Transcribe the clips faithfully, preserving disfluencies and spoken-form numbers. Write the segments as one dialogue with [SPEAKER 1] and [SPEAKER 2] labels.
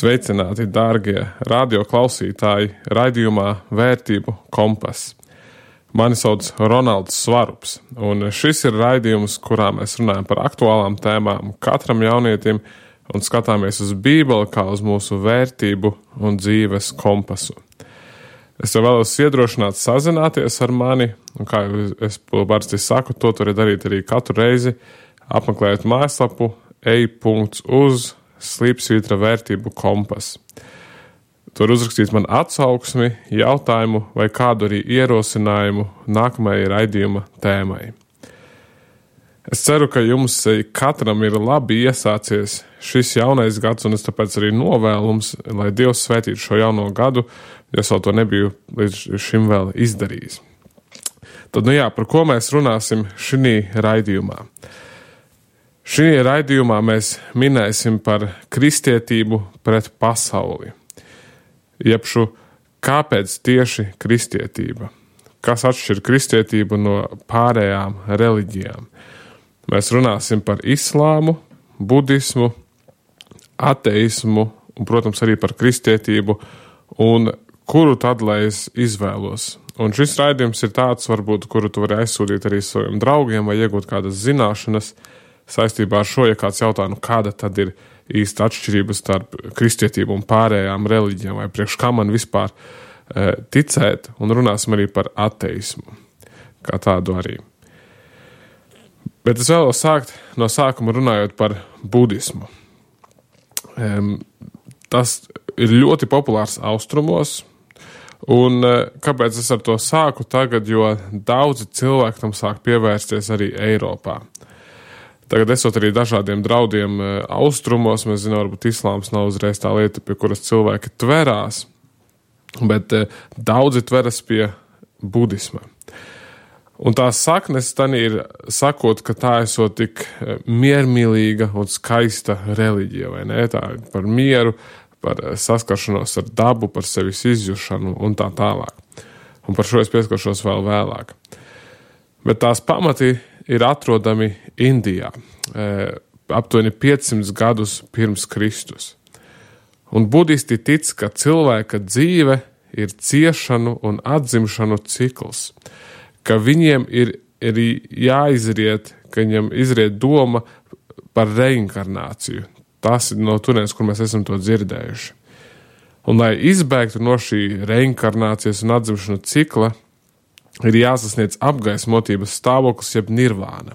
[SPEAKER 1] Sveicināti, dārgie radioklausītāji, raidījumā Vērtību kompas. Mani sauc Ronalds Svarups, un šis ir raidījums, kurā mēs runājam par aktuālām tēmām katram jaunietim un skatāmies uz Bībeli kā uz mūsu vērtību un dzīves kompasu. Es tev vēlos iedrošināt sazināties ar mani, un kā jau es parasti saku, to tur darīt arī katru reizi, apmeklējot mājaslapu ej punkts uz slīpsvītra vērtību kompas. Tur uzrakstīt man atsauksmi, jautājumu vai kādu arī ierosinājumu nākamajai raidījuma tēmai. Es ceru, ka jums katram ir labi iesācies šis jaunais gads, un es tāpēc arī novēlums, lai Dievs svētītu šo jauno gadu, jo es vēl to nebiju līdz šim vēl izdarījis. Tad, nu jā, par ko mēs runāsim šī raidījumā? Šī raidījumā mēs minēsim par kristietību pret pasauli. Jebšu, kāpēc tieši kristietība? Kas atšķir kristietību no pārējām reliģijām? Mēs runāsim par islāmu, budismu, ateismu un, protams, arī par kristietību un kuru tad, lai es izvēlos. Un šis raidījums ir tāds, varbūt, kuru tu vari aizsūtīt arī saviem draugiem vai iegūt kādas zināšanas saistībā ar šo, ja kāds jautā, nu kāda tad ir īsta atšķirība starp kristietību un pārējām reliģijām, vai priekš kā man vispār e, ticēt, un runāsim arī par ateismu, kā tādu arī. Bet es vēlos sākt no sākuma runājot par budismu. E, tas ir ļoti populārs austrumos, un e, kāpēc es ar to sāku tagad, jo daudzi cilvēki tam sāk pievērsties arī Eiropā. Tagad esot arī dažādiem draudiem austrumos, mēs zinām, varbūt islāms nav uzreiz tā lieta, pie kuras cilvēki tverās, bet daudzi tveras pie budisma. Un tās saknes tan ir sakot, ka tā esot tik miermīlīga un skaista reliģija, vai ne? Tā ir par mieru, par saskaršanos ar dabu, par sevis izjušanu un tā tālāk. Un par šo es pieskaršos vēl vēlāk. Bet tās pamati ir atrodami Indijā, aptuveni piecsimt gadus pirms Kristus. Un budisti tic, ka cilvēka dzīve ir ciešanu un atzimšanu cikls, ka viņiem ir arī jāizriet, ka viņiem izriet doma par reinkarnāciju. Tas ir no turienes, kur mēs esam to dzirdējuši. Un, lai izbēgtu no šī reinkarnācijas un atzimšanu cikla, ir jāsasniedz apgaismotības stāvoklis jeb nirvāna.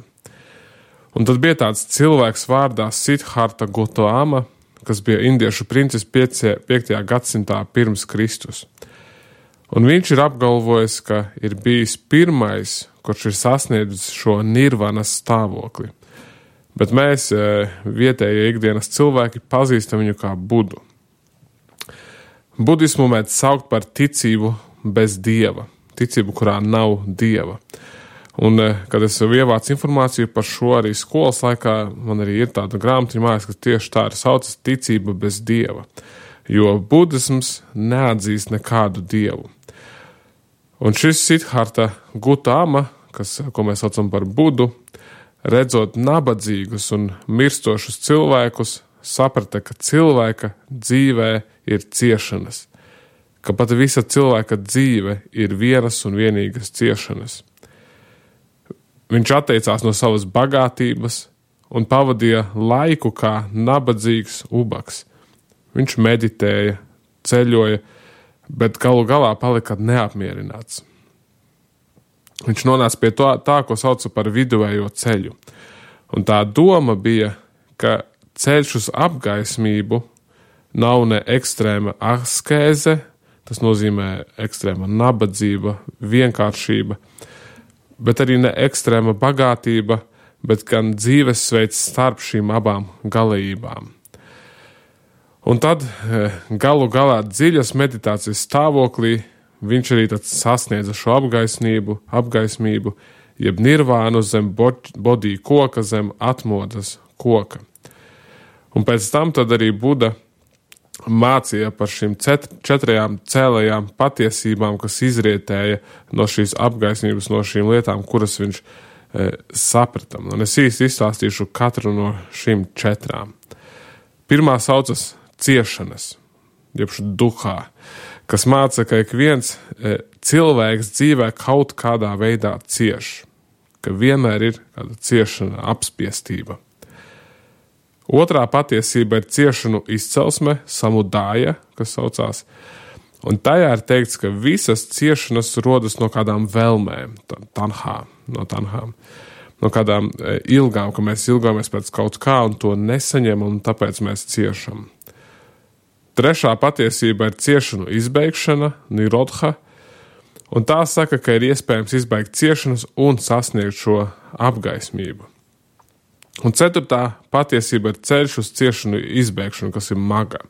[SPEAKER 1] Un tad bija tāds cilvēks vārdā Siddharta Gautama, kas bija indiešu princis piektajā gadsimtā pirms Kristus. Un viņš ir apgalvojis, ka ir bijis pirmais, kurš ir sasniedzis šo nirvānas stāvokli. Bet mēs, vietējie ikdienas cilvēki, pazīstam viņu kā Budu. Budismu mēdz saukt par ticību bez dieva. Ticību, kurā nav dieva. Un, kad es ievācu informāciju par šo arī skolas laikā, man arī ir tāda grāmatiņa mājas, ka tieši tā ir saucas ticība bez dieva. Jo budisms neatzīst nekādu dievu. Un šis Siddharta Gautama, kas, ko mēs saucam par Budu, redzot nabadzīgus un mirstošus cilvēkus, saprata, ka cilvēka dzīvē ir ciešanas. Ka pat visa cilvēka dzīve ir vienas un vienīgas ciešanas. Viņš atteicās no savas bagātības un pavadīja laiku kā nabadzīgs ubaks. Viņš meditēja, ceļoja, bet galu galā palika neapmierināts. Viņš nonāca pie tā, tā ko sauca par viduvējo ceļu. Un tā doma bija, ka ceļš uz apgaismību nav ne ekstrēma askēze, tas nozīmē ekstrēma nabadzība, vienkāršība, bet arī ne ekstrēma bagātība, bet gan dzīvesveids starp šīm abām galējībām. Un tad galu galā dziļas meditācijas stāvoklī viņš arī tad sasniedza šo apgaismību, apgaismību, jeb nirvānu zem bodī koka, zem atmodas koka. Un pēc tam tad arī Buda mācīja par šīm četrajām cēlējām patiesībām, kas izrietēja no šīs apgaismības, no šīm lietām, kuras viņš e, sapratam. Un es īsti izstāstīšu katru no šīm četrām. Pirmā saucas ciešanas. jeb duhā, kas māca, ka ik viens cilvēks dzīvē kaut kādā veidā cieš, ka vienmēr ir kāda ciešana, apspiestība. Otrā patiesība ir ciešanu izcelsme, samudāja, kas saucās, un tajā ir teikts, ka visas ciešanas rodas no kādām vēlmēm, tanhā, no tanhām, no kādām ilgām, ka mēs ilgāmies pēc kaut kā un to nesaņemam, un tāpēc mēs ciešam. Trešā patiesība ir ciešanu izbeigšana, nirodha, un tā saka, ka ir iespējams izbeigt ciešanas un sasniegt šo apgaismību. Un ceturtā patiesība ir ceļš uz ciešanu izbeigšanu, kas ir maga.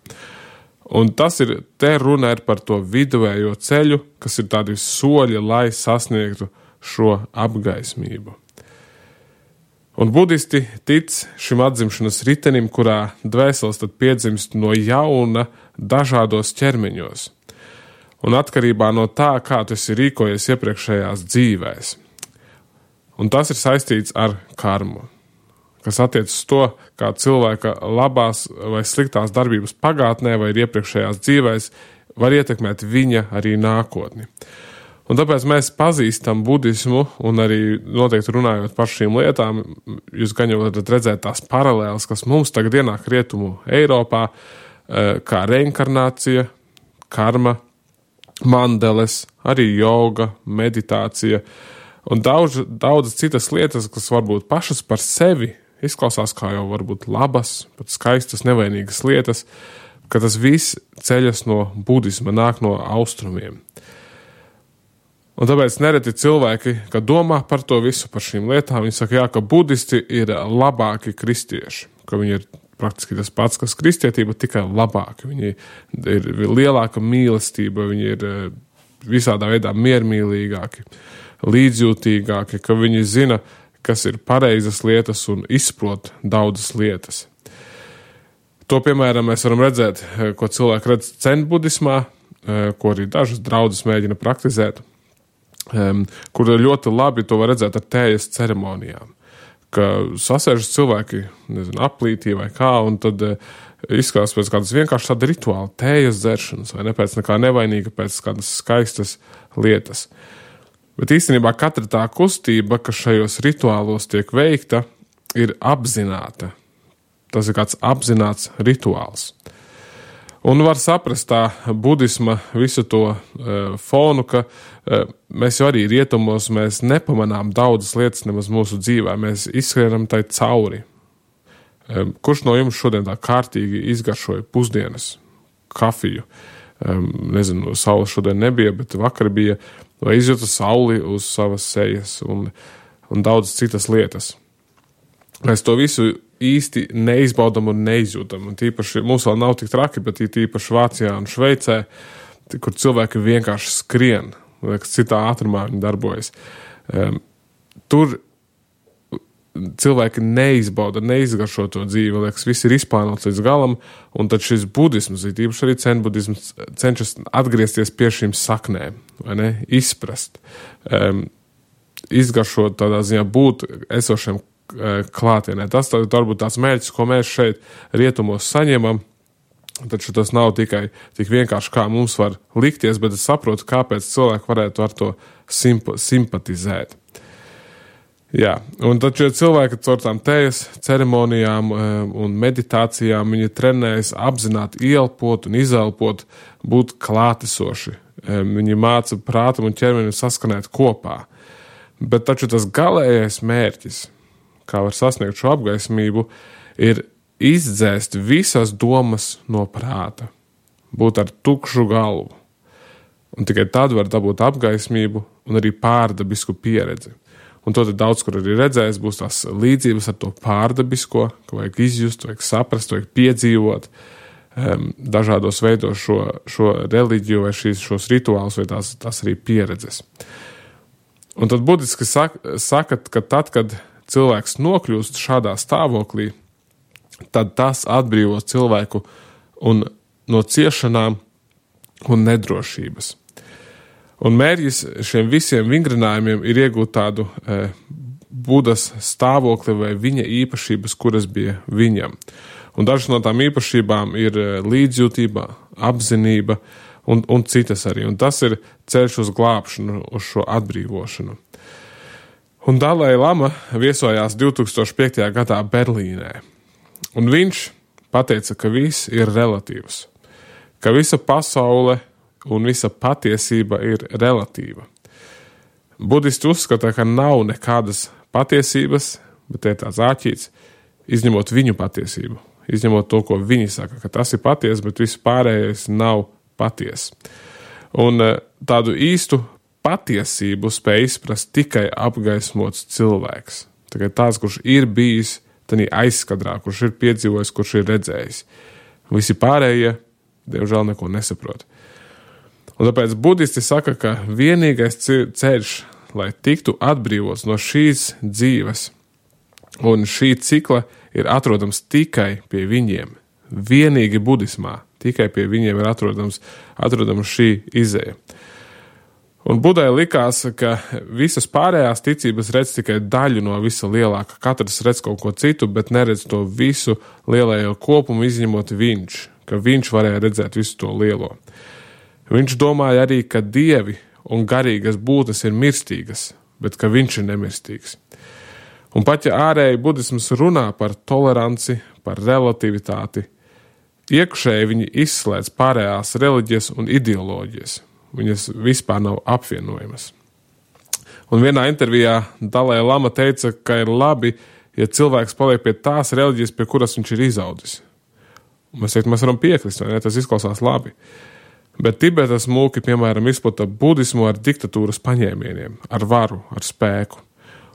[SPEAKER 1] Un tas ir, te runa ir par to viduvējo ceļu, kas ir tādi soļi, lai sasniegtu šo apgaismību. Un budisti tic šim atzimšanas ritenim, kurā dvēseles tad piedzimst no jauna dažādos ķermeņos. Un atkarībā no tā, kā tu esi rīkojies iepriekšējās dzīvēs. Un tas ir saistīts ar karmu, kas attiecas to, kā cilvēka labās vai sliktās darbības pagātnē vai iepriekšējās dzīvēs var ietekmēt viņa arī nākotni. Un tāpēc mēs pazīstam budismu un arī noteikti runājot par šīm lietām, jūs gan jau varat redzēt tās paralēles, kas mums tagad ienāk rietumu Eiropā, kā reinkarnācija, karma, mandeles, arī joga, meditācija un daudz, daudz citas lietas, kas varbūt pašas par sevi izklausās kā jau varbūt labas, pat skaistas, nevainīgas lietas, ka tas viss ceļas no budisma, nāk no austrumiem. Un tāpēc nereti cilvēki, kad domā par to visu, par šīm lietām, viņi saka, jā, ka budisti ir labāki kristieši, ka viņi ir praktiski tas pats, kas kristietība, tikai labāki. Viņi ir lielāka mīlestība, viņi ir visādā veidā miermīlīgāki, līdzjūtīgāki, ka viņi zina, kas ir pareizas lietas un izprot daudzas lietas. To, piemēram, mēs varam redzēt, ko cilvēki redz cenbudismā, ko arī dažas draudzes mēģina praktizēt, Um, kur ļoti labi to var redzēt ar tējas ceremonijām, ka sasēžas cilvēki, nezinu, aplītī vai kā, un tad uh, izskatās pēc kādas vienkārši tāda rituāla tējas dzeršanas, vai ne pēc nekā nevainīga, pēc kādas skaistas lietas. Bet īstenībā katra tā kustība, kas šajos rituālos tiek veikta, ir apzināta. Tas ir kāds apzināts rituāls. Un var saprast tā budisma visu to uh, fonu, ka uh, mēs jau arī rietumos, mēs nepamanām daudzas lietas nemaz mūsu dzīvē, mēs izskrienam tai cauri. Um, kurš no jums šodien tā kārtīgi izgaršoja pusdienas kafiju? Um, nezinu, saules šodien nebija, bet vakar bija, vai izjūta sauli uz savas sejas un, un daudz citas lietas. Mēs to visu īsti neizbaudam un neizjūtam. Un tīpaši, mums vēl nav tik traki, bet tīpaši Vācijā un Šveicē, kur cilvēki vienkārši skrien, liekas, citā ātrumā viņi darbojas. Um, tur cilvēki neizbauda, neizgaršo to dzīvi, liekas, viss ir izplānots līdz galam, un tad šis budisms, tīpaši arī cenbudisms, cenšas atgriezties pie šīm saknēm, vai ne, izprast, um, izgaršot tādā ziņā būt esošiem klātienē. Tas tā, varbūt tās mērķis, ko mēs šeit rietumos saņemam, taču tas nav tikai tik vienkārši, kā mums var likties, bet es saprotu, kāpēc cilvēki varētu ar to simp- simpatizēt. Jā, un taču cilvēki caur tām tējas ceremonijām un meditācijām, viņi trenējas apzināt, ielpot un izelpot, būt klātesoši. Viņi māca prātam un ķermenim saskanēt kopā. Bet taču tas galējais mērķis, kā var sasniegt šo apgaismību, ir izdzēst visas domas no prāta, būt ar tukšu galvu. Un tikai tad var dabūt apgaismību un arī pārdabisku pieredzi. Un to tad daudz, kur arī redzējis, būs tās līdzības ar to pārdabisko, ka vajag izjust, vajag saprast, vajag piedzīvot um, dažādos veidos šo, šo reliģiju vai šīs, šos rituālus vai tās, tās arī pieredzes. Un tad budiski saka, saka, ka tad, kad cilvēks nokļūst šādā stāvoklī, tad tas atbrīvos cilvēku un no ciešanām un nedrošības. Un mērķis šiem visiem vingrinājumiem ir iegūt tādu e, Budas stāvokli vai viņa īpašības, kuras bija viņam. Un dažas no tām īpašībām ir līdzjūtība, apzinība un, un citas arī. Un tas ir ceļš uz glābšanu, uz šo atbrīvošanu. Un Dalai Lama viesojās divi tūkstoši piektajā gadā Berlīnē. Un viņš pateica, ka viss ir relatīvs, ka visa pasaule un visa patiesība ir relatīva. Budisti uzskata, ka nav nekādas patiesības, bet te ir tāds āķīts, izņemot viņu patiesību, izņemot to, ko viņi saka, ka tas ir patiesi, bet viss pārējais nav patiesi. Un tādu īstu patiesību spēj izprast tikai apgaismots cilvēks. Tikai tāds, kurš ir bijis tādā aizskadrā, kurš ir piedzīvojis, kurš ir redzējis. Visi pārējie, diemžēl, neko nesaprot. Un tāpēc budisti saka, ka vienīgais ceļš, lai tiktu atbrīvots no šīs dzīves un šī cikla, ir atrodams tikai pie viņiem. Vienīgi budismā, tikai pie viņiem ir atrodams, atrodams šī izeja. Un Budai likās, ka visas pārējās ticības redz tikai daļu no visa lielāka. Katrs redz kaut ko citu, bet neredz to visu lielējo kopumu, izņemot viņš, ka viņš varēja redzēt visu to lielo. Viņš domāja arī, ka dievi un garīgas būtnes ir mirstīgas, bet ka viņš ir nemirstīgs. Un pat ja ārēji budisms runā par toleranci, par relativitāti, iekšēji viņi izslēdz pārējās reliģijas un ideoloģijas. Viņas vispār nav apvienojamas. Un vienā intervijā Dalai Lama teica, ka ir labi, ja cilvēks paliek pie tās reliģijas, pie kuras viņš ir izaudzis. Un mēs teikt, mēs varam piekrist, vai ne? Tas izklausās labi. Bet Tibetas mūki, piemēram, izplata budismu ar diktatūras paņēmieniem, ar varu, ar spēku.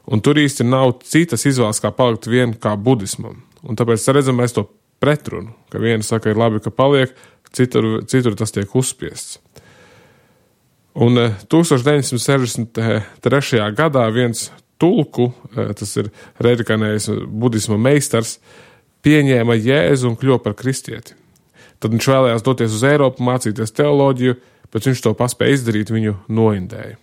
[SPEAKER 1] Un tur īsti nav citas izvēles, kā palikt vien kā budismam. Un tāpēc redzam mēs to pretrunu, ka viena saka, ir labi, ka paliek, citur, citur tas tiek uzspiests. Un tūkstoš deviņsimt sešdesmit trešajā gadā viens tulku, tas ir redikanējis budisma meistars, pieņēma Jēzu un kļuva par kristieti. Tad viņš vēlējās doties uz Eiropu, mācīties teoloģiju, bet viņš to paspēja izdarīt, viņu noindēja.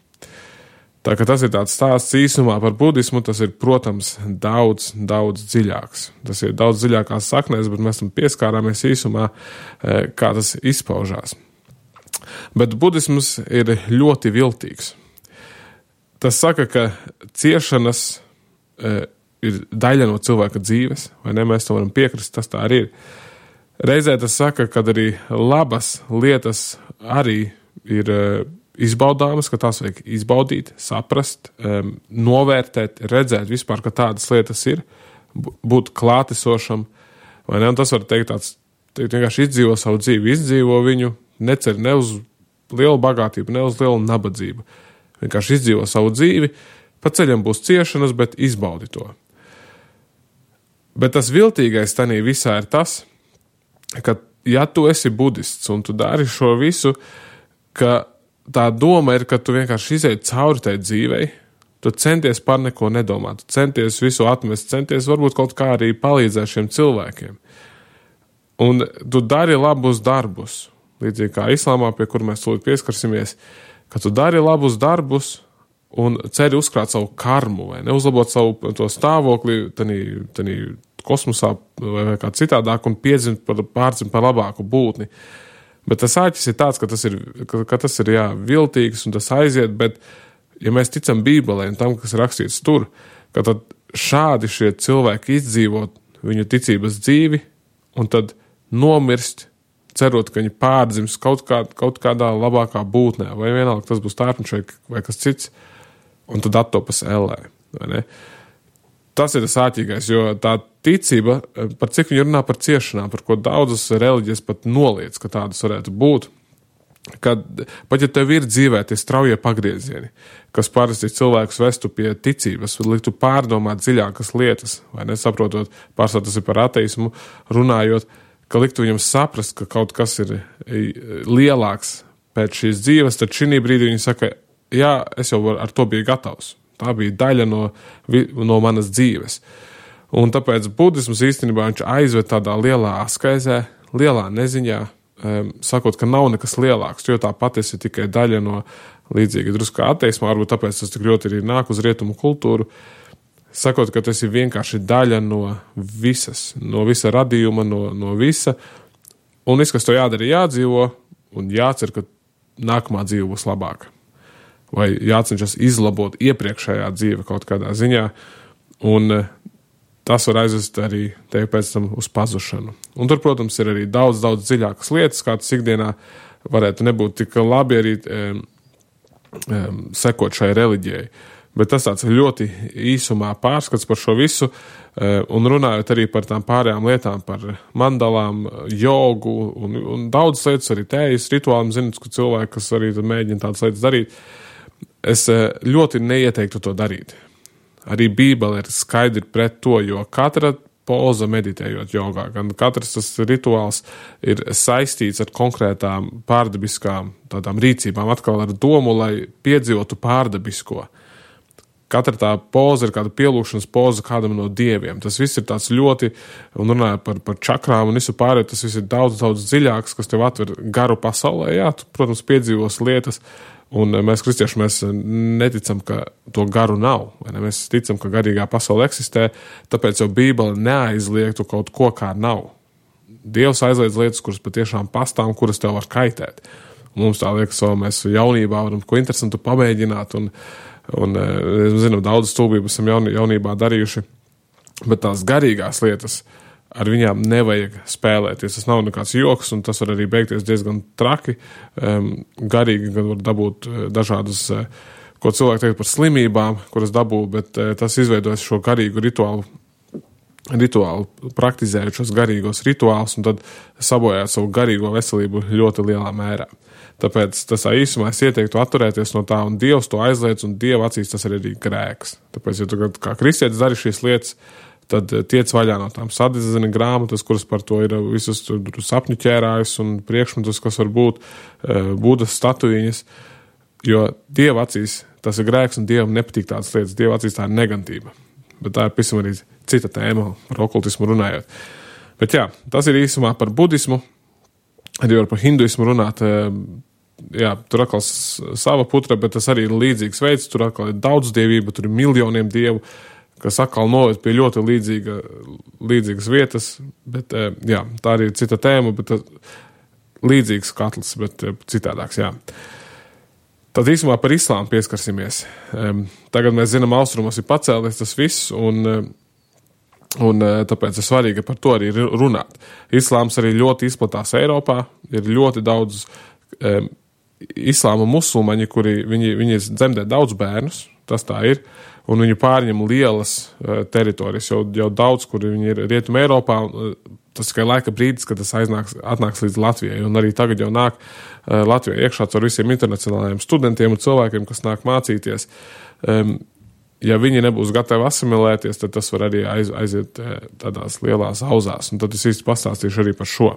[SPEAKER 1] Tā kā tas ir tāds stāsts īsumā par budismu, tas ir, protams, daudz, daudz dziļāks. Tas ir daudz dziļākās saknēs, bet mēs tam pieskārāmies īsumā, kā tas izpaužās. Bet budisms ir ļoti viltīgs. Tas saka, ka ciešanas e, ir daļa no cilvēka dzīves, vai ne? Mēs to varam piekrist, tas tā arī ir. Reizē tas saka, ka arī labas lietas arī ir e, izbaudāmas, ka tās vajag izbaudīt, saprast, e, novērtēt, redzēt vispār, ka tādas lietas ir, būt klātesošam, vai ne? Un tas var teikt tāds, teikt, vienkārši izdzīvo savu dzīvi, izdzīvo viņu, necer ne uz lielu bagātību, ne uz lielu nabadzību. Vienkārši izdzīvo savu dzīvi, pa ceļam būs ciešanas, bet izbaudi to. Bet tas viltīgais tanī visā ir tas, ka ja tu esi budists un tu dari šo visu, ka tā doma ir, ka tu vienkārši izēji cauri tai dzīvei, tu centies par neko nedomāt, tu centies visu atmest, centies varbūt kaut kā arī palīdzēt šiem cilvēkiem. Un tu dari labus darbus. Līdzīgi kā islāmā, pie kur mēs tūlīt pieskarsimies, ka tu dari labus darbus un ceri uzkrāt savu karmu, vai neuzlabot savu to stāvokli tanī, tanī kosmosā vai kā citādāk un piedzimt par, pārdzimt par labāku būtni. Bet tas āķis ir tāds, ka tas ir, ka, ka tas ir jā, viltīgs un tas aiziet, bet ja mēs ticam Bībelē un tam, kas rakstīts tur, ka tad šādi šie cilvēki izdzīvot viņu ticības dzīvi un tad nomirst, cerot, ka viņi pārdzims kaut, kā, kaut kādā labākā būtnē, vai vienalga tas būs tārpniņš vai, vai kas cits, un tad attopas ellē, vai ne? Tas ir tas āķīgais, jo tā ticība, par cik viņi runā par ciešanām, par ko daudzas reliģijas pat noliec, ka tādas varētu būt, kad pat ja tev ir dzīvē tie straujie pagriezieni, kas parasti cilvēkus vestu pie ticības, liktu pārdomāt dziļākas lietas, vai nesaprotot, pārsvarā tas ir par ateismu, runājot, ka liktu viņam saprast, ka kaut kas ir lielāks pēc šīs dzīves, tad šī brīdī viņi saka, jā, es jau ar to biju gatavs. Tā bija daļa no, no manas dzīves. Un tāpēc budisms īstenībā viņš aizved tādā lielā askaizē, lielā neziņā, um, sakot, ka nav nekas lielāks, jo tā patiesi ir tikai daļa no līdzīgi drusku ateismā, varbūt tāpēc tas tik ļoti arī nāk uz rietumu kultūru, sakot, ka tas ir vienkārši daļa no visas, no visa radījuma, no, no visa, Un viss, kas to jādara, jādzīvo, un jācer, ka nākamā dzīve būs labāka. Vai jācenšas izlabot iepriekšējā dzīve kaut kādā ziņā, un tas var aizvest arī tevi pēc tam uz pazušanu. Un tur, protams, ir arī daudz, daudz dziļākas lietas, kā tas ikdienā varētu nebūt tik labi arī um, um, sekot šai reliģijai. Bet tas tāds ļoti īsumā pārskats par šo visu, un runājot arī par tām pārējām lietām, par mandalām, jogu un, un daudz lietas, arī tējas rituāliem, zinu, ka cilvēki, kas arī mēģina tādas lietas darīt, es ļoti neieteiktu to darīt. Arī Bībele ir skaidri pret to, jo katra poza meditējot jogā, gan katrs tas rituāls ir saistīts ar konkrētām pārdabiskām tādām rīcībām, atkal ar domu, lai piedzīvotu pārdabisko. Katra tā poza ir kāda pielūgšanas poza kādam no dieviem. Tas viss ir tāds ļoti, un runāja par, par čakrām un visu pārējo, tas viss ir daudz, daudz dziļāks, kas tev atver garu pasaulē. Jā, tu, protams, piedzīvos lietas, un mēs kristieši, mēs neticam, ka to garu nav. Vai ne? Mēs ticam, ka garīgā pasaule eksistē, tāpēc jau Bībele neaizliegtu kaut ko, kā nav. Dievs aizliedz lietas, kuras patiešām pastāv, kuras tev var kaitēt. Un mums tā liekas, ka mēs jaunībā varam ko interesantu pamēģināt, un Un es zinu, daudz stulbības esam jaun, jaunībā darījuši, bet tās garīgās lietas ar viņām nevajag spēlēties. Tas nav nekāds joks, un tas var arī beigties diezgan traki. Um, garīgi gan var dabūt dažādas, ko cilvēki teikt par slimībām, kuras dabū, bet uh, tas izveidojas šo garīgu rituālu, rituālu praktizējot šos garīgos rituālus, un tad sabojāt savu garīgo veselību ļoti lielā mērā. Tāpēc tas īsumā es ieteiktu atturēties no tā, un Dievs to aizliedz, un Dieva acīs tas ir arī grēks. Tāpēc, ja tu kā kristietis dari šīs lietas, tad tiec vaļā no tām sadedzina grāmatas, kuras par to ir visus sapņu ķērājus un priekšmetus, kas var būt Budas statuīņas, jo Dieva acīs tas ir grēks, un Dievam nepatīk tādas lietas. Dieva acīs tā ir negantība. Bet tā ir pavisam arī cita tēma, par okultismu runājot. Bet jā, tas ir īsumā par budismu, arī var par hinduismu runāt. Jā, tur atkal sava putra, bet tas arī ir līdzīgs veids, tur atkal ir daudz dievība, tur ir miljoniem dievu, kas atkal noved pie ļoti līdzīga, līdzīgas vietas, bet jā, tā arī ir cita tēma, bet līdzīgs katls, bet citādāks, jā. Tad īsumā par islāmu pieskarsimies. Tagad mēs zinām, austrumos ir pacēlies tas viss, un, un tāpēc ir svarīgi par to arī runāt. Islāms arī ļoti izplatās Eiropā, ir ļoti daudz um, islāma musulmaņi, kuri viņi, viņi dzemdē daudz bērnus, tas tā ir, un viņi pārņem lielas uh, teritorijas, jau, jau daudz, kuri viņi ir Rietuma Eiropā, uh, tas tikai laika brīdis, kad tas aiznāks, atnāks līdz Latvijai, un arī tagad jau nāk uh, Latvijai iekšā ar visiem internacionālajiem studentiem un cilvēkiem, kas nāk mācīties. Um, ja viņi nebūs gatavi asimilēties, tad tas var arī aiz, aiziet uh, tādās lielās auzās, un tad es īsti pastāstīšu arī par šo.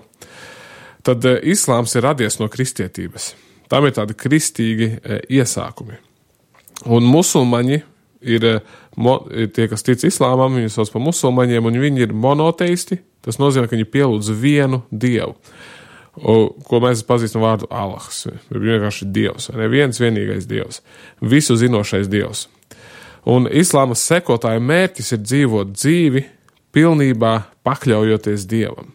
[SPEAKER 1] Tad uh, islāms ir radies no kristietības. Tam ir tādi kristīgi e, iesākumi. Un musulmaņi ir, mo, ir tie, kas tic islāmam, viņi sauc par musulmaņiem, un viņi ir monoteisti. Tas nozīmē, ka viņi pielūdz vienu dievu, o, ko mēs pazīstam vārdu Allahs. Vienkārši dievs, ne viens vienīgais dievs, visu zinošais dievs. Un islāma sekotāja mērķis ir dzīvot dzīvi, pilnībā pakļaujoties dievam.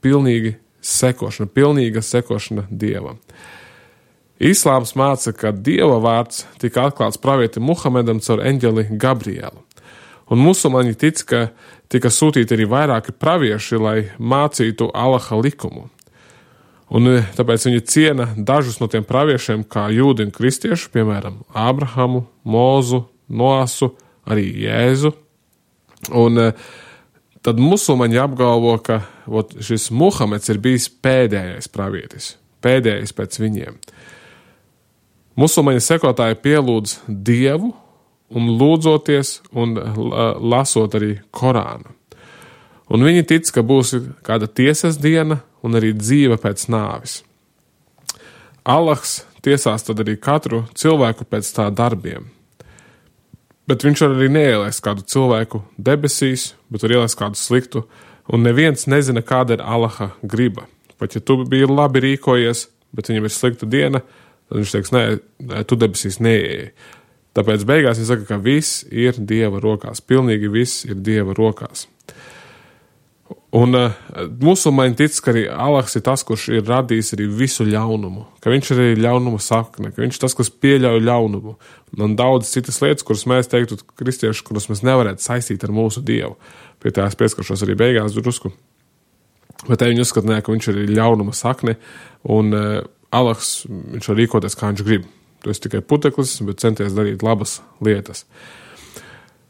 [SPEAKER 1] Pilnīgi sekošana, pilnīga sekošana dievam. Islāms māca, ka Dieva vārds tika atklāts pravietim Muhamedam caur eņģeli Gabrielu. Un musulmaņi tic, ka tika sūtīti arī vairāki pravieši, lai mācītu Allaha likumu. Un tāpēc viņi ciena dažus no tiem praviešiem kā jūdi un kristieši, piemēram, Ābrahamu, Mozu, Noasu, arī Jēzu. Un tad musulmaņi apgalvo, ka ot, šis Muhameds ir bijis pēdējais pravietis, pēdējais pēc viņiem. Musulmaņu sekotāji pielūdz Dievu un lūdzoties un lasot arī Korānu. Un viņi tic, ka būs kāda tiesas diena un arī dzīve pēc nāvis. Allahs tiesās tad arī katru cilvēku pēc tā darbiem. Bet viņš var arī neielaist kādu cilvēku debesīs, bet var ielaist kādu sliktu, un neviens nezina, kāda ir Allaha griba. Pat ja tu biji labi rīkojies, bet viņam ir slikta diena, tad viņš teiks, nē, tu debesīs neieeji. Tāpēc beigās viņš saka, ka viss ir Dieva rokās. Pilnīgi viss ir Dieva rokās. Un uh, musulmaņi tic, ka arī Allahs ir tas, kurš ir radījis arī visu ļaunumu, ka viņš ir arī ļaunuma sakne, ka viņš ir tas, kas pieļauj ļaunumu. Un daudz citas lietas, kuras mēs teiktu kristieši, kuras mēs nevarētu saistīt ar mūsu Dievu. Pie tā es pieskaršos arī beigās drusku. Bet te viņi uzskata, ka viņš ir arī ļaunuma sakne, un uh, Allahs, viņš var rīkoties, kā viņš grib. Tu esi tikai puteklis, bet centies darīt labas lietas.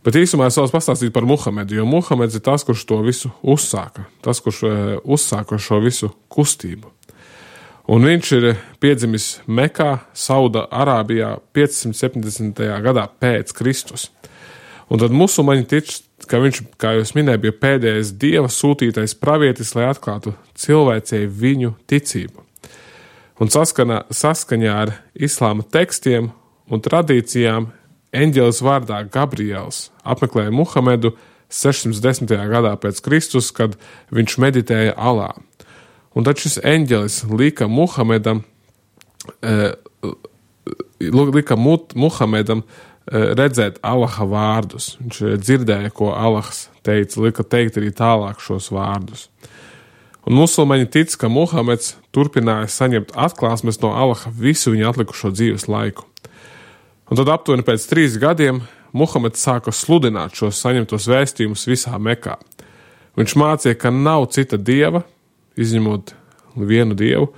[SPEAKER 1] Bet īsumā es vēlos pastāstīt par Muhamedu, jo Muhameds ir tas, kurš to visu uzsāka, tas, kurš uzsāka šo visu kustību. Un viņš ir piedzimis Mekā, Sauda Arābijā piecsimt septiņdesmitajā gadā pēc Kristus. Un tad musulmaņi tic, ka viņš, kā jūs minēju, bija pēdējais Dieva sūtītais pravietis, lai atklātu cilvēcei viņu ticību. Un saskana, saskaņā ar islāma tekstiem un tradīcijām eņģelis vārdā Gabriels apmeklēja Muhamedu sešsimt desmitajā gadā pēc Kristus, kad viņš meditēja Alā. Un tad šis eņģelis lika Muhamedam, eh, lika Muhamedam eh, redzēt Allaha vārdus. Viņš dzirdēja, ko Allahs teica, lika teikt arī tālāk šos vārdus. Un musulmaņi tic, ka Muhameds turpināja saņemt atklāsmes no Allaha visu viņa atlikušo dzīves laiku. Un tad aptuveni pēc trīs gadiem Muhameds sāka sludināt šos saņemtos vēstījumus visā Mekā. Viņš mācīja, ka nav cita dieva, izņemot vienu dievu,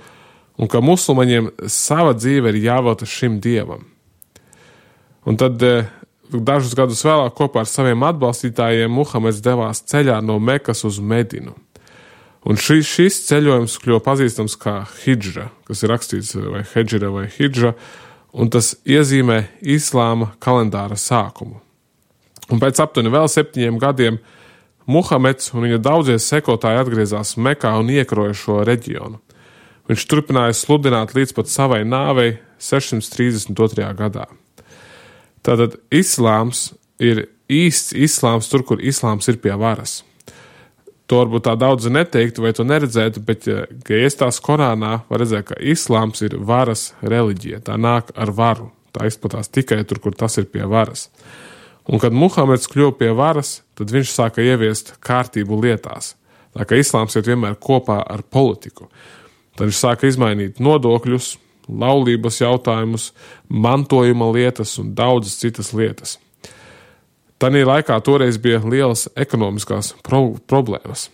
[SPEAKER 1] un ka musulmaņiem sava dzīve ir jāvelta šim dievam. Un tad dažus gadus vēlāk kopā ar saviem atbalstītājiem Muhameds devās ceļā no Mekas uz Medinu. Un šis, šis ceļojums kļuva pazīstams kā hidžra, kas ir rakstīts vai hedžira vai hidžra, un tas iezīmē islāma kalendāra sākumu. Un pēc aptuveni vēl septiņiem gadiem Muhameds un viņa daudzie sekotāji atgriezās Mekā un iekaroja šo reģionu. Viņš turpināja sludināt līdz pat savai nāvei sešsimt trīsdesmit otrajā gadā. Tātad islāms ir īsts islāms tur, kur islāms ir pie varas. To varbūt tā daudzi neteiktu vai to neredzētu, bet, ja iestās Korānā, var redzēt, ka islāms ir varas reliģija. Tā nāk ar varu. Tā izplatās tikai tur, kur tas ir pie varas. Un kad Muhameds kļuva pie varas, tad viņš sāka ieviest kārtību lietās. Tā kā islāms iet vienmēr kopā ar politiku. Tad viņš sāka izmainīt nodokļus, laulības jautājumus, mantojuma lietas un daudzas citas lietas. Tanī laikā toreiz bija lielas ekonomiskās pro- problēmas.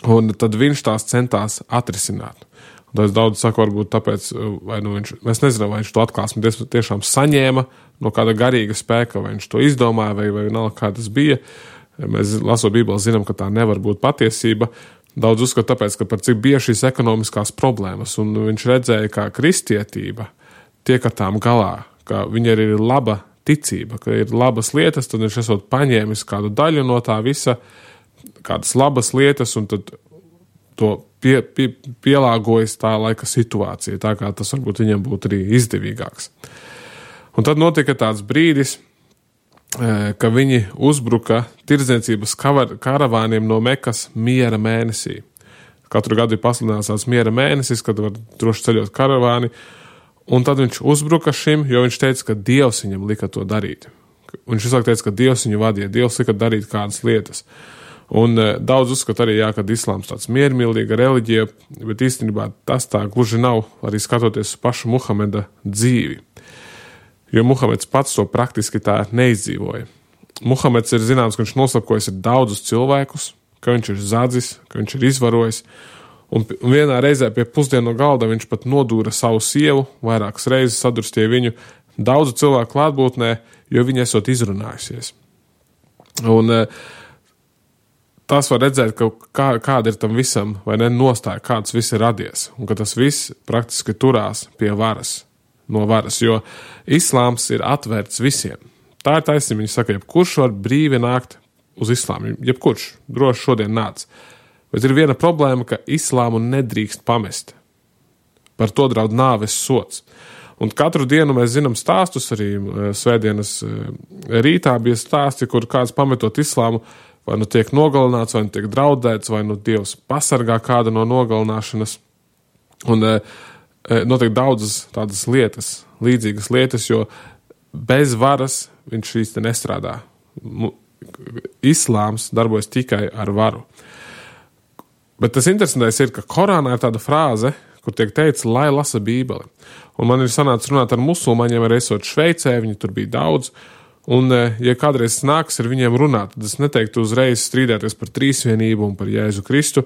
[SPEAKER 1] Un tad viņš tās centās atrisināt. Un tad daudz saka, varbūt tāpēc, vai nu viņš, mēs nezinām, vai viņš to atklāsmi tiešām saņēma no kāda garīga spēka, vai viņš to izdomāja, vai, vai nav kā tas bija. Mēs lasot Bībeli zinām, ka tā nevar būt patiesība. Daudz uzskata tāpēc, ka par cik bija šīs ekonomiskās problēmas, un viņš redzēja, kā kristietība tiek ar tām galā, ka viņa ir laba ticība, ka ir labas lietas, tad viņš esot paņēmis kādu daļu no tā visa, kādas labas lietas, un tad to pie, pie, pielāgojas tā laika situācija, tā kā tas varbūt viņam būtu arī izdevīgāks. Un tad notika tāds brīdis, ka viņi uzbruka tirdzniecības karavāniem no Mekas miera mēnesī. Katru gadu ir pasludināts tāds miera mēnesis, kad var droši ceļot karavāni, un tad viņš uzbruka šim, jo viņš teica, ka Dievs viņam lika to darīt. Un viņš visāk teica, ka Dievs viņu vadīja, Dievs lika darīt kādas lietas. Un e, daudz uzskata arī, jā, ka islāms tāds miermīlīga reliģija, bet īstenībā tas tā gluži nav, arī skatoties uz pašu Muhameda dzīvi. Jo Muhameds pats to praktiski tā neizdzīvoja. Muhameds ir zināms, ka viņš noslapkojas ar daudzus cilvēkus, ka viņš ir zadzis, ka viņš ir izvarojis, un vienā reizē pie pusdienu galda viņš pat nodūra savu sievu, vairākas reizes sadurstīja viņu daudzu cilvēku klātbūtnē, jo viņa esot izrunājusies. Un tas var redzēt, ka kā, kāda ir tam visam, vai ne, nostāja, kāds viss ir radies, un ka tas viss praktiski turās pie varas, no varas, jo islāms ir atvērts visiem. Tā ir taisnība, viņi saka, jebkurš var brīvi nākt uz islāmu, jebkurš droši šodien nāc. Bet ir viena problēma, ka islāmu nedrīkst pamest. Par to draud nāves sods. Un katru dienu mēs zinām stāstus, arī svētdienas rītā bija stāsti, kur kāds pametot islāmu, vai nu tiek nogalināts, vai nu tiek draudēts, vai nu Dievs pasargā kādu no nogalināšanas. Un notiek daudzas tādas lietas, līdzīgas lietas, jo bez varas viņš īsti nestrādā. Islāms darbojas tikai ar varu. Bet tas interesantais ir, ka Korānā ir tāda frāze, kur tiek teikts, lai lasa Bībeli. Un man ir sanācis runāt ar musulmaņiem, arī esot Šveicē, viņi tur bija daudz. Un, ja kādreiz nāks ar viņiem runāt, tad es neteiktu uzreiz strīdēties par trīsvienību un par Jēzu Kristu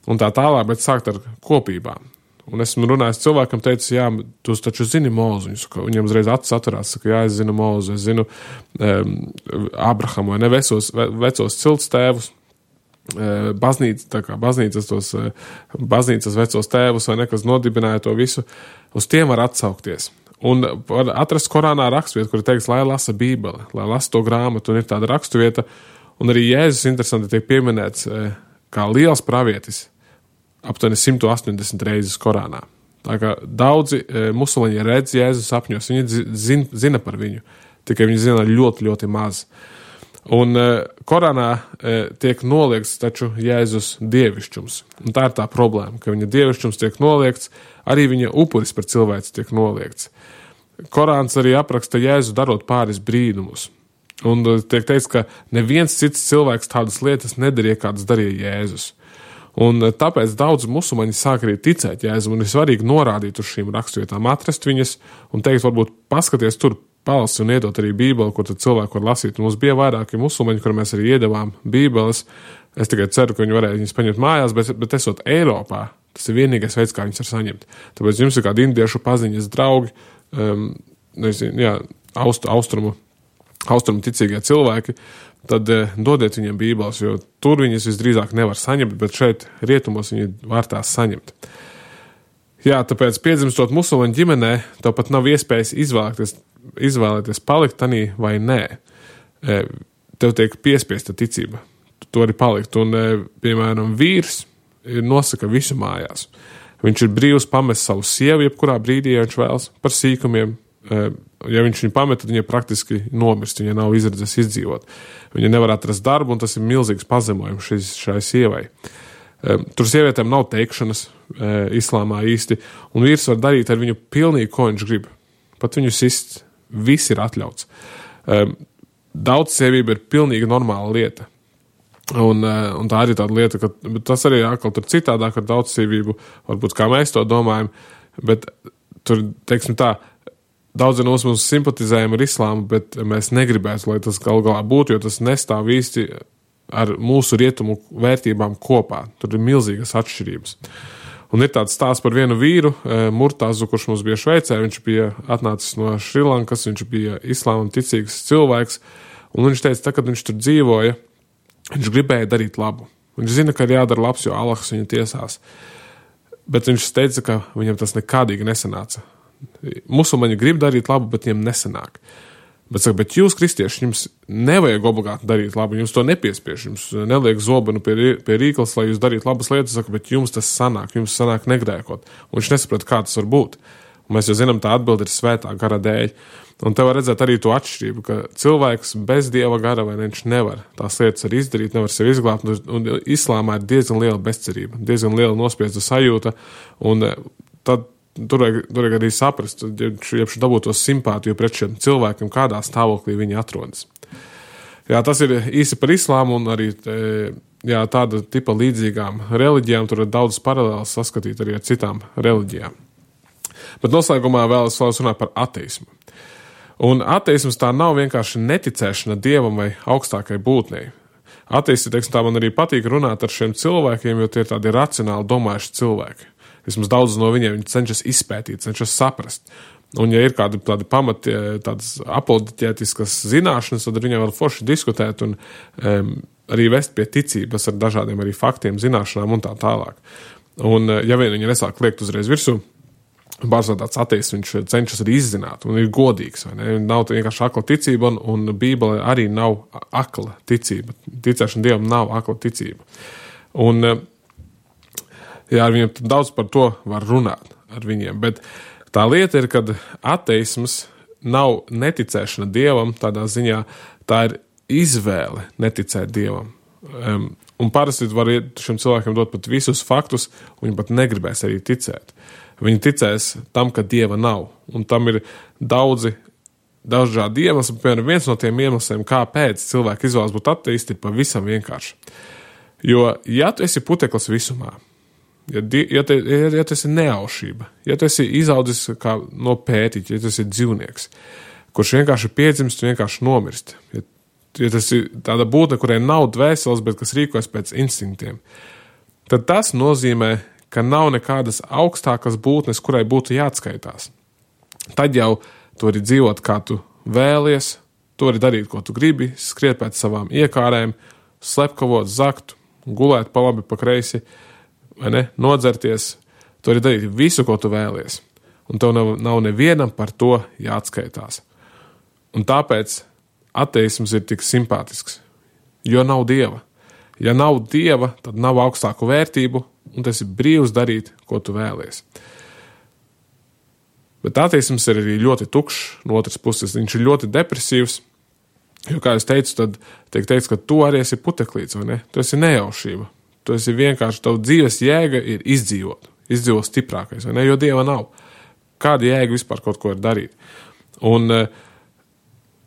[SPEAKER 1] un tā tālāk, bet sākt ar kopībām. Un esmu runājis cilvēkam, teicis, jā, tu taču zini Mūzu. Viņam uzreiz acis atverās, saka, jā, es zinu Mūzu, es zinu um, Abrahamu vai ne vecos, ve, vecos cilts tēvus, uh, baznīca, tā kā baznīcas tos, uh, baznīcas vecos tēvus vai ne, kas nodibināja to visu, uz tiem var atsaukties. Un var atrast Korānā raksturvietu, kur ir teikts, lai lasa Bībeli, lai lasa to grāmatu, un ir tāda raksturvieta, un arī Jēzus interesanti tiek pieminēts uh, kā liels pravietis, aptuveni simt astoņdesmit reizes Korānā. Tā kā daudzi e, musulmaņi redz Jēzus sapņos, viņi zin, zina par viņu, tikai viņi zina ļoti, ļoti maz. Un e, Korānā e, tiek noliegts taču Jēzus dievišķums. Un tā ir tā problēma, ka viņa dievišķums tiek noliegts, arī viņa upuris par cilvēci tiek noliegts. Korāns arī apraksta Jēzu darot pāris brīnumus. Un tiek teikts, ka neviens cits cilvēks tādas lietas nedarīja, kādas darīja Jēzus. Un tāpēc daudz musulmaņi sāk arī ticēt Jēzum, un ir svarīgi norādīt uz šīm raksturvietām, atrast viņas un teikt, varbūt paskaties tur, palasi un iedot arī Bībeli, kur tad cilvēku var lasīt. Un mums bija vairāki musulmaņi, kur mēs arī iedavām Bībeles. Es tikai ceru, ka viņi varēja viņas paņemt mājās, bet, bet esot Eiropā, tas ir vienīgais veids, kā viņas var saņemt. Tāpēc jums ir kādi indiešu paziņas draugi, um, nezinu, jā, aust, austrumu, austrumu ticīgie cilvēki, tad eh, dodiet viņiem Bībeles, jo tur viņas visdrīzāk nevar saņemt, bet šeit rietumos viņi var tās saņemt. Jā, tāpēc piedzimstot musulmaņu ģimenē, tev pat nav iespējas izvēlēties, izvēlēties palikt tanī vai nē. E, tev tiek piespiesta ticība. Tu to arī palikt. Un, e, piemēram, vīrs nosaka visu mājās. Viņš ir brīvs pamest savu sievu, jebkurā brīdī, ja viņš vēlas, par sīkumiem. E, ja viņš viņu pamet, tad viņa praktiski nomirst, viņa nav izredzes izdzīvot. Viņa nevar atrast darbu, un tas ir milzīgs pazemojums šis, šai sievai. E, tur sievietēm nav teikšanas e, islāmā īsti, un vīrs var darīt ar viņu pilnīgi, ko viņš grib. Pat viņu sist, viss ir atļauts. E, daudz sievība ir pilnīgi normāla lieta. Un, un tā arī tāda lieta, ka tas arī atkal tur citādāk ar daudz sievību, varbūt kā mēs to domājam, bet tur, teiksim tā, daudzi no mums simpatizējam ar islāmu, bet mēs negribētu, lai tas gal galā būtu, jo tas nestāv īsti ar mūsu rietumu vērtībām kopā. Tur ir milzīgas atšķirības. Un ir tāds stāsts par vienu vīru, Murtazu, kurš mums bija Šveicē. Viņš bija atnācis no Šrilankas, viņš bija islāma ticīgs cilvēks, un viņš teica, tā, kad viņš tur dzīvoja, viņš gribēja darīt labu. Viņš zina, ka ir jādara labs, jo Allahs viņu tiesās. Bet viņš teica, ka viņam tas nekādīgi nesanāca. Musulmaņi grib darīt labu, bet viņiem nesanāk. Bet, saka, bet jūs, kristieši, jums nevajag obligāti darīt labu, jums to nepiespiež, jums neliek zobenu pie, pie rīklas, lai jūs darītu labas lietas, saka, bet jums tas sanāk, jums sanāk negrēkot. Un viņš nesaprata, kā tas var būt. Un mēs jau zinām, tā atbilde ir svētā gara dēļ. Un te var redzēt arī to atšķirību, ka cilvēks bez Dieva gara vai viņš nevar tās lietas arī izdarīt, nevar sevi izglābt. Un islāmā ir diezgan liela bezcerība, diezgan liela nospiesta sajūta, un tad Tur vajag arī saprast, ja viņš dabūtos simpātiju pret šiem cilvēkiem, kādā stāvoklī viņi atrodas. Jā, tas ir īsi par islāmu un arī jā, tāda tipa līdzīgām reliģijām. Tur ir daudz paralēlas saskatīt arī ar citām reliģijām. Bet noslēgumā vēlas runāt par ateismu. Un ateisms tā nav vienkārši neticēšana Dievam vai augstākai būtnei. Ateisti, teiksim, tā man arī patīk runāt ar šiem cilvēkiem, jo tie ir tādi racionāli domājuši cilvēki. Vismaz daudz no viņiem viņi cenšas izpētīt, cenšas saprast. Un ja ir kādi tādi pamati, tādas apoloģētiskas zināšanas, tad ar viņiem var forši diskutēt un um, arī vest pie ticības ar dažādiem arī faktiem, zināšanām un tā tālāk. Un ja vien viņi nesāk liekt uzreiz virsū, bārzādāts ateists, viņš cenšas arī izzināt un ir godīgs, vai ne? Nav vienkārši akla ticība un, un Bībele arī nav akla ticība. Ticēšana Dievam nav akla ticība. Un jā, ar viņiem daudz par to var runāt ar viņiem, bet tā lieta ir, kad ateisms nav neticēšana Dievam, tādā ziņā tā ir izvēle neticēt Dievam. Um, un parasti var šiem cilvēkiem dot pat visus faktus, un viņi pat negribēs arī ticēt. Viņi ticēs tam, ka Dieva nav, un tam ir daudzi dažādi iemesli. Piemēram, viens no tiem iemesliem, kāpēc cilvēki izvēlas būt ateisti, ir pavisam vienkārši. Jo, ja tu esi puteklis visumā, ja, ja, te, ja, ja tu esi neaušība, ja tu esi izaudzis kā no pētiķa, ja tu esi dzīvnieks, kurš vienkārši piedzimst, vienkārši nomirst, ja, ja tas ir tāda būtne, kurai nav dvēseles, bet kas rīkojas pēc instinktiem, tad tas nozīmē, ka nav nekādas augstākas būtnes, kurai būtu jāatskaitās. Tad jau tu vari dzīvot, kā tu vēlies, tu vari darīt, ko tu gribi, skriet pēc savām iekārēm, slepkavot, zakt, gulēt pa labi, pa kreisi, vai ne, nodzerties. Tu vari darīt visu, ko tu vēlies. Un tev nav, nav nevienam par to jāatskaitās. Un tāpēc ateisms ir tik simpātisks, jo nav Dieva. Ja nav Dieva, tad nav augstāku vērtību, un tas ir brīvs darīt, ko tu vēlies. Bet ateisms ir arī ļoti tukšs no otras puses. Viņš ir ļoti depresīvs, jo, kā es teicu, tad tiek teikts, ka tu arī esi puteklīts, vai ne? Tu esi nejaušība. Tu esi vienkārši, tavu dzīves jēga ir izdzīvot. Izdzīvot stiprākais, vai ne? Jo Dieva nav. Kāda jēga vispār kaut ko ir darīt? Un uh,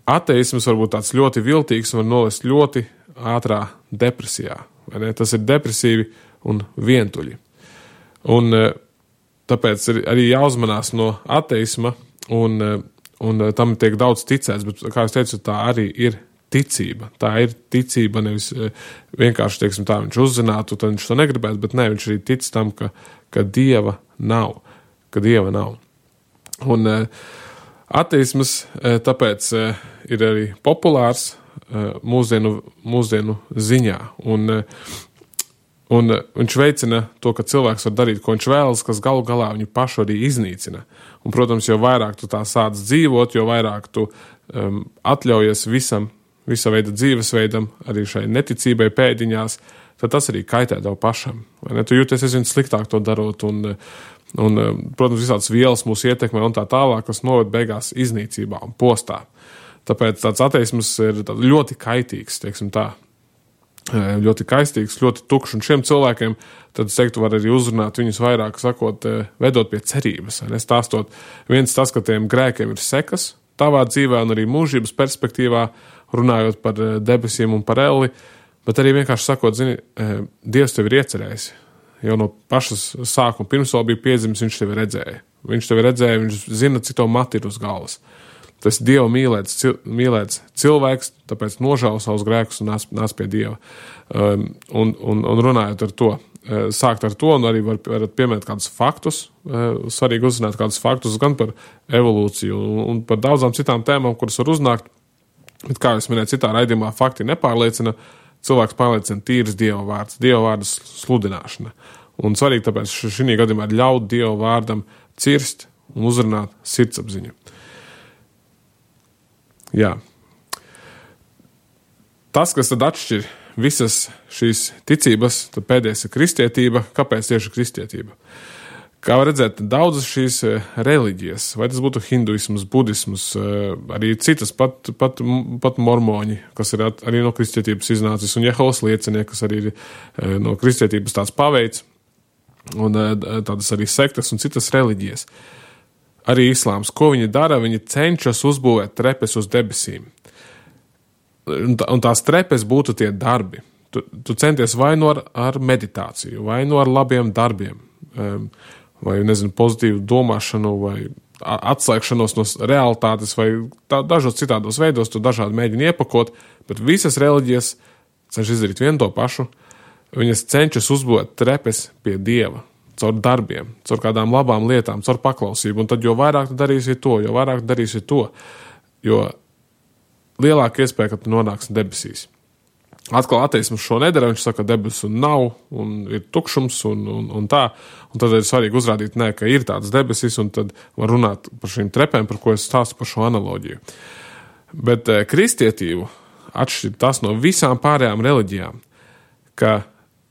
[SPEAKER 1] ateisms var būt tāds ļoti viltīgs un var novest ļoti ātrā depresijā. Vai ne? Tas ir depresīvi un vientuļi. Un tāpēc ir arī jāuzmanās no ateisma, un, un tam tiek daudz ticēts, bet, kā es teicu, tā arī ir ticība. Tā ir ticība, nevis vienkārši, teiksim tā, viņš uzzinātu, tad viņš to negribētu, bet ne, viņš arī tic tam, ka, ka Dieva nav. Ka Dieva nav. Un ateisms tāpēc ir arī populārs mūsdienu, mūsdienu ziņā. Un, un viņš veicina to, ka cilvēks var darīt, ko viņš vēlas, kas galu galā viņu pašu arī iznīcina. Un, protams, jo vairāk tu tā sāc dzīvot, jo vairāk tu um, atļaujies visam, visa veida dzīvesveidam, arī šai neticībai pēdiņās, tad tas arī kaitē tev pašam. Vai ne? Tu jūties aizvien sliktāk to darot, un, un protams, visādas vielas mūs ietekmē un tā tālāk, kas noved beigās iznīcībā un postā. Tāpēc tāds ateisms ir ļoti kaitīgs, teiksim tā, ļoti kaistīgs, ļoti tukšs, un šiem cilvēkiem, tad es teiktu, var arī uzrunāt viņus vairāk, sakot, vedot pie cerības, vai nestāstot viens tas, ka tiem grēkiem ir sekas tavā dzīvē un arī mūžības perspektīvā, runājot par debesīm un par elli, bet arī vienkārši sakot, zini, Dievs tevi ir iecerējis, jau no pašas sākuma, pirms vēl bija piedzimis, viņš tevi redzēja, viņš tevi redzēja, viņš zina, cik tev mati ir uz galvas. Tas ir Dieva mīlēts, cil, mīlēts cilvēks, tāpēc nožēlo savus grēkus un nāc, nāc pie Dieva. Um, un, un, un runājot ar to, uh, sākt ar to, un arī var, varat pieminēt kādus faktus, uh, svarīgi uzzināt kādus faktus gan par evolūciju un, un par daudzām citām tēmām, kuras var uznākt. Bet, kā es minēju, citā raidījumā fakti nepārliecina, cilvēks pārliecina tīrs Dieva vārds, Dieva vārda sludināšana. Un svarīgi tāpēc šī gadījumā ir ļaut Dieva vārdam cirst un uzrunāt sirdsapziņu. Jā. Tas, kas tad atšķir visas šīs ticības, tad pēdējais ir kristietība. Kāpēc tieši kristietība? Kā var redzēt, daudzas šīs reliģijas, vai tas būtu hinduisms, budisms, arī citas, pat, pat, pat mormoņi, kas ir arī no kristietības iznācis, un Jehovas liecinieki, kas arī ir no kristietības tāds paveids, un tādas arī sektas un citas reliģijas. Arī islāms, ko viņi dara, viņi cenšas uzbūvēt trepes uz debesīm. Un, tā, un tās trepes būtu tie darbi. Tu, tu centies vai no ar, ar meditāciju, vai no ar labiem darbiem, vai, nezinu, pozitīvu domāšanu, vai atslēgšanos no realitātes, vai tā, dažos citādos veidos, tu dažādi mēģini iepakot, bet visas reliģijas cenšas izdarīt vienu to pašu. Viņas cenšas uzbūvēt trepes pie Dieva. Caur darbiem, caur kādām labām lietām, caur paklausību, un tad jo vairāk tu darīsi to, jo vairāk tu darīsi to, jo lielāka iespēja, ka tu nonāksi debesīs. Atkal ateisms šo nedara, viņš saka, ka debesu nav, un ir tukšums, un, un, un tā, un tad ir svarīgi uzrādīt, nē, ka ir tāds debesis, un tad var runāt par šīm trepēm, par ko es stāstu par šo analoģiju. Bet eh, kristietību atšķir tas no visām pārējām reliģijām, ka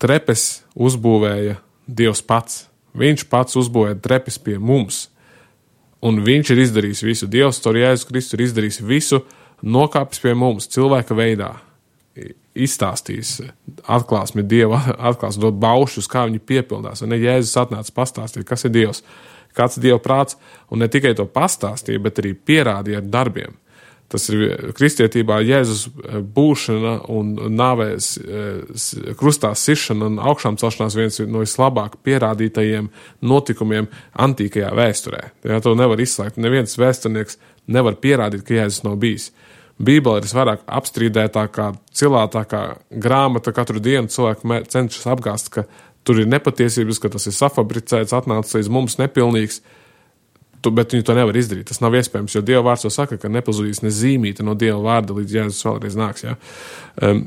[SPEAKER 1] trepes uzbūvēja Dievs pats. Viņš pats uzbūvēja trepes pie mums. Un viņš ir izdarījis visu. Dievs, caur Jēzus Kristu, ir izdarījis visu, nokāpis pie mums cilvēka veidā. Izstāstījis atklāsmi Dieva, atklās dot baušus, kā viņi piepildās. Un ne Jēzus atnāca pastāstīt, kas ir Dievs, kāds ir Dieva prāts, un ne tikai to pastāstīja, bet arī pierādīja ar darbiem. Tas ir kristietībā Jēzus būšana un nāvēs krustā sišana un augšām celšanās viens no vislabāk pierādītajiem notikumiem antīkajā vēsturē. Ja, to nevar izslēgt. Neviens vēsturnieks nevar pierādīt, ka Jēzus nav bijis. Bībele ir visvairāk apstrīdētākā, cilātākā grāmata. Katru dienu cilvēki cenšas apgāst, ka tur ir nepatiesības, ka tas ir safabricēts, atnācis līdz mums nepilnīgs. Bet viņi to nevar izdarīt. Tas nav iespējams, jo Dieva vārds to saka, ka nepazudīs ne zīmīte no Dieva vārda, līdz Jēzus vēlreiz nāks. Ja? Um,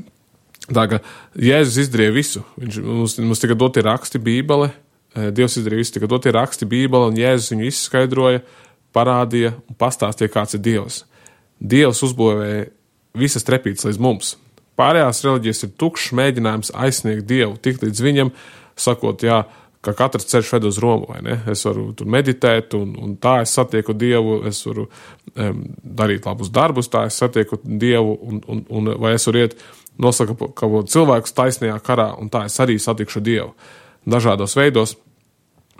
[SPEAKER 1] tā kā Jēzus izdarīja visu. Viņš, mums, mums tika doti raksti Bībele, Dievs izdarīja visu, tika doti raksti Bībele, un Jēzus viņu izskaidroja, parādīja un pastāstīja, kāds ir Dievs. Dievs uzbūvēja visas trepītes līdz mums. Pārējās reliģijas ir tukšs mēģinājums aizsniegt Dievu, tikt līdz viņam, sakot, jā, ka katrs ceļš ved uz Romu, vai ne? Es varu tur meditēt, un, un tā es satieku Dievu, es varu um, darīt labus darbus, tā es satieku Dievu, un, un, un vai es varu iet nosaka kaut cilvēkus taisnajā karā, un tā es arī satikšu Dievu. Dažādos veidos,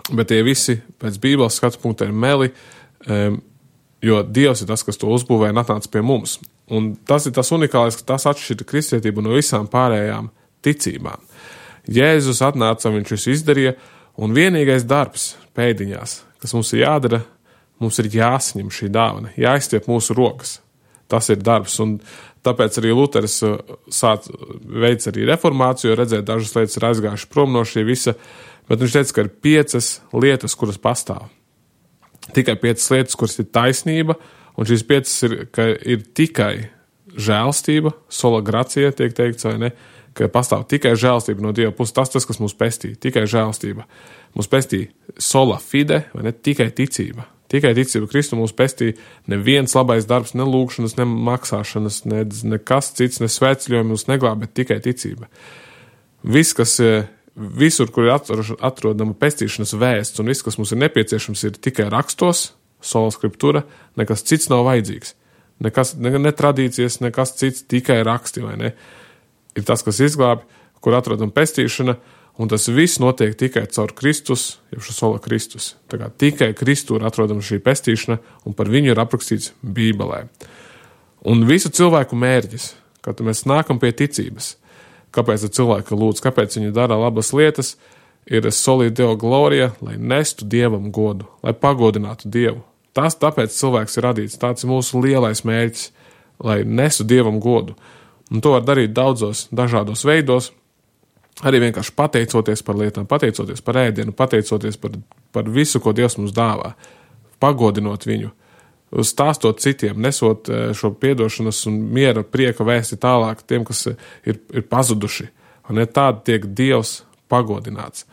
[SPEAKER 1] bet tie visi pēc Bībeles skatu punkta ir meli, um, jo Dievs ir tas, kas to uzbūvēja un atnāca pie mums. Un tas ir tas unikālais, ka tas atšķir kristietību no visām pārējām ticībām. Jēzus atnāca, viņš visu izdarīja, un vienīgais darbs pēdiņās, kas mums ir jādara, mums ir jāsaņem šī dāvana, jāizstiep mūsu rokas. Tas ir darbs, un tāpēc arī Luteris sāc veids arī reformāciju, jo redzēt, dažas lietas ir aizgājuši prom no šī visa, bet viņš teica, ka ir piecas lietas, kuras pastāv. Tikai piecas lietas, kuras ir taisnība, un šīs piecas ir, ka ir tikai žēlstība, sola gracija, tiek teikts, vai ne, ka pastāv tikai žēlstība no Dieva puses, tas tas, kas mūs pestīja, tikai žēlstība. Mūs pestīja sola fide, vai ne, tikai ticība. Tikai ticība Kristu mūs pestīja neviens labais darbs, ne lūkšanas, ne maksāšanas, ne, nekas cits, ne svētceļojumi mūs neglāb, bet tikai ticība. Viss, kas visur, kur ir atrodama pestīšanas vēsts, un viss, kas mums ir nepieciešams, ir tikai rakstos, sola skriptura, nekas cits nav vajadzīgs. Nekas, ne, ne tradīcijas, nekas cits, tikai raksti, vai ne? Ir tas, kas izglābi, kur atrodam pestīšana, un tas viss notiek tikai caur Kristus, jeb šo sola Kristus. Tā kā tikai Kristū ir atrodama šī pestīšana, un par viņu ir aprakstīts Bībelē. Un visu cilvēku mērķis, kad mēs nākam pie ticības, kāpēc cilvēka lūdz, kāpēc viņi dara labas lietas, ir soli Deo gloria, lai nestu Dievam godu, lai pagodinātu Dievu. Tas tāpēc cilvēks ir radīts, tāds ir mūsu lielais mērķis, lai nestu Dievam godu. Un to var darīt daudzos dažādos veidos, arī vienkārši pateicoties par lietām, pateicoties par ēdienu, pateicoties par, par visu, ko Dievs mums dāvā, pagodinot viņu, stāstot citiem, nesot šo piedošanas un miera prieka vēsti tālāk tiem, kas ir, ir pazuduši. Un ja tādi tiek Dievs pagodināts.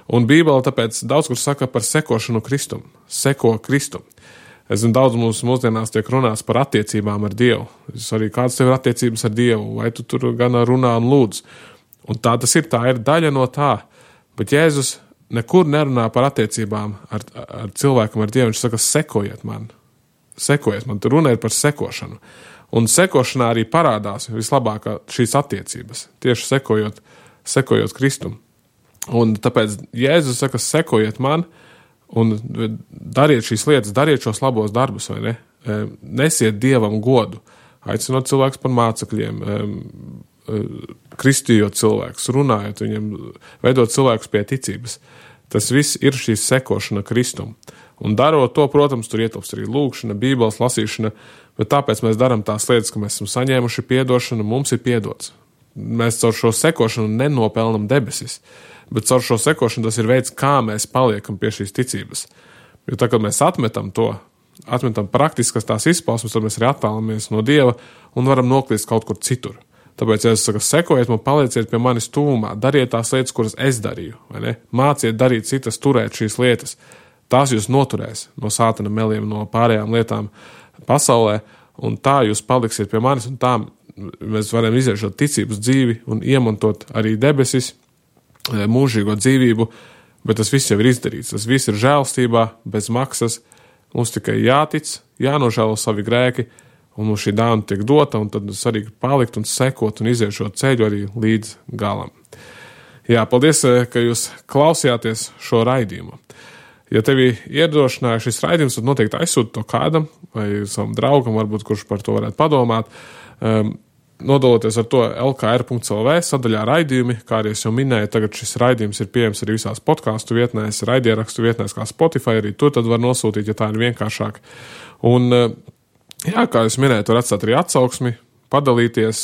[SPEAKER 1] Un Bībele tāpēc daudz kur saka par sekošanu Kristum, seko Kristum. Es zinu, daudz mums mūsdienās tiek runāts par attiecībām ar Dievu. Es arī kāds tev ir attiecības ar Dievu, vai tu tur gan runā un lūdz. Un tā tas ir, tā ir daļa no tā. Bet Jēzus nekur nerunā par attiecībām ar, ar cilvēkam, ar Dievu. Viņš saka, sekojiet man. Sekojiet man. Tur runa ir par sekošanu. Un sekošanā arī parādās vislabākā šīs attiecības. Tieši sekojot, sekojot Kristum. Un tāpēc Jēzus saka, sekojiet man, un dariet šīs lietas, dariet šos labos darbus, vai ne? Nesiet Dievam godu, aicinot cilvēkus par mācekļiem, kristījot cilvēkus, runājot viņiem, veidot cilvēkus pie ticības. Tas viss ir šīs sekošana Kristum. Un darot to, protams, tur ietilpst arī lūkšana, Bībeles lasīšana, bet tāpēc mēs darām tās lietas, ka mēs esam saņēmuši piedošanu, mums ir piedots. Mēs caur šo sekošanu nenopelnam debesis. Bet caur šo sekošanu tas ir veids, kā mēs paliekam pie šīs ticības. Jo tā, kad mēs atmetam to, atmetam praktiskas tās izpausmes, tad mēs arī attālamies no Dieva un varam noklīst kaut kur citur. Tāpēc, ja es saku, sekojiet man, palieciet pie manis tūmā, dariet tās lietas, kuras es darīju, vai ne? Māciet darīt citas, turēt šīs lietas. Tās jūs noturēs no sātana meliem, no pārējām lietām pasaulē, un tā jūs paliksiet pie manis, un tā mēs varam iziet šo ticības dzīvi un iemantot arī debesis, mūžīgo dzīvību, bet tas viss jau ir izdarīts. Tas viss ir žēlstībā, bez maksas. Mums tikai jātic, jānožēlo savi grēki, un mums šī dāvana tiek dota, un tad svarīgi palikt un sekot un iziet šo ceļu arī līdz galam. Jā, paldies, ka jūs klausījāties šo raidījumu. Ja tevi iedrošināja šis raidījums, tad noteikti aizsūti to kādam vai savam draugam, varbūt kurš par to varētu padomāt. Um, Nodaloties ar to el ka er punkts el vē sadaļā raidījumi, kā arī es jau minēju, tagad šis raidījums ir pieejams arī visās podcastu vietnēs, raidierakstu vietnēs kā Spotify, arī tur tad var nosūtīt, ja tā ir vienkāršāk. Un, jā, kā es minēju, var atstāt arī atsauksmi, padalīties,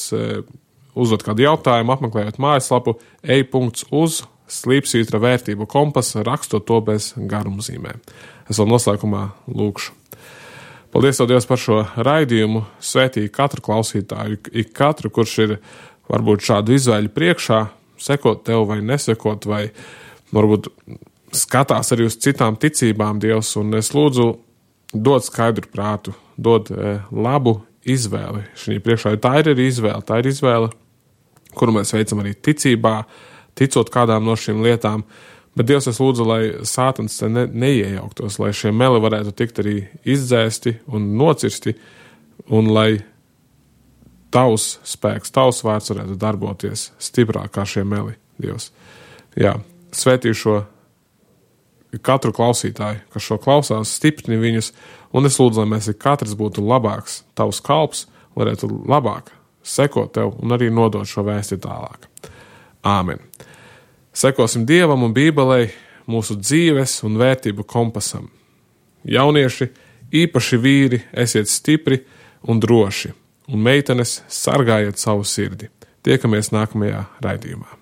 [SPEAKER 1] uzdot kādu jautājumu, apmeklējot mājaslapu ej punkts uz slīpsvītra vērtību kompas, rakstot to bez garumzīmēm. Es vēl noslēgumā lūkšu. Paldies tev, Dievs, par šo raidījumu. Svētī katru klausītāju, ik katru, kurš ir varbūt šādu izvēļu priekšā, sekot tev vai nesekot, vai varbūt skatās arī uz citām ticībām, Dievs, un es lūdzu dod skaidru prātu, dod e, labu izvēli. Šī priekšā tā ir arī izvēle, tā ir izvēle, kuru mēs veicam arī ticībā, ticot kādām no šīm lietām. Bet Dievs, es lūdzu, lai sātans te ne, neiejauktos, lai šie meli varētu tikt arī izdzēsti un nocirsti, un lai tavs spēks, tavs vārds varētu darboties stiprāk kā šie meli, Dievs. Jā, svētī šo katru klausītāju, kas šo klausās, stiprini viņus, un es lūdzu, lai mēs katrs būtu labāks, tavs kalps, varētu labāk sekot tev un arī nodot šo vēsti tālāk. Āmen. Sekosim Dievam un Bībelei, mūsu dzīves un vērtību kompasam. Jaunieši, īpaši vīri, esiet stipri un droši, un meitenes sargājiet savu sirdi. Tiekamies nākamajā raidījumā.